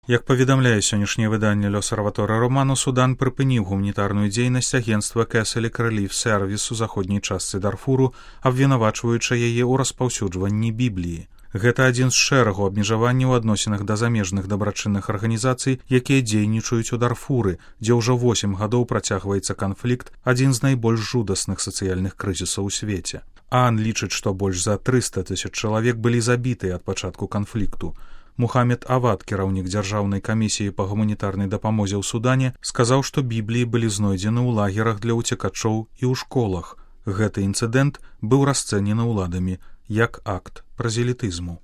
Як паведамляе сённяшняе выданне «L'Osservatore Romano», Судан прыпыніў гуманітарную дзейнасць агенцтва Catholic Relief Service у заходняй частцы Дарфуру, абвінавачваючы яе ў распаўсюджванні Бібліі. Гэта адзін з шэрагу абмежаванняў у адносінах да замежных дабрачынных арганізацый, якія дзейнічаюць у Дарфуры, дзе ўжо 8 гадоў працягваецца канфлікт, адзін з найбольш жудасных сацыяльных крызісаў у свеце. ААН лічыць, што больш за 300 000 чалавек былі забітыя ад пачатку канфлікту. Мухаммед Авад, кіраўнік дзяржаўнай камісіі па гуманітарнай дапамозе ў Судане, сказаў, што Бібліі былі знойдзены ў лагерах для ўцекачоў і ў школах. Гэты інцыдэнт быў расцэнены ўладамі як акт празелітызму.